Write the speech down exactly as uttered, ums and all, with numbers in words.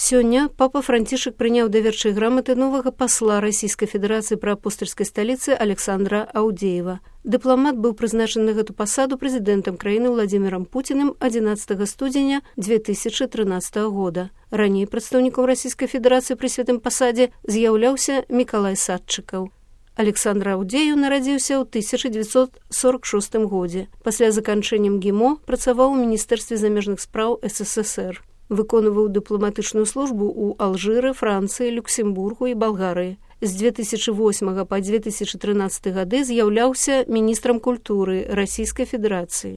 Сёння папа Францішак прыняў даверчай граматы новага пасла Расійскай Федэрацыі пры апостальскай сталіцы Александра Аўдзеева. Дыпламат быў прызначаны на гэту пасаду прэзідэнтам краіны Владзімірам Пуціным адзінаццатага студзеня дзве тысячы трынаццатага года. Раней прадстаўніком Расійскай Федэрацыі пры святым пасадзе з'яўляўся Мікалай Садчыкаў. Александр Аўдзееў нарадзіўся ў тысяча дзевяцьсот сорок шостым годзе. Пасля заканчэння МГИМО працаваў у Міністэрстве замежных спраў СССР. Выконваў дыпламатычную службу ў Алжыры, Францыі, Люксембургу і Балгарыі. З дзве тысячы восьмага па дзве тысячы трынаццаты гады з'яўляўся міністрам культуры Расійскай Федэрацыі.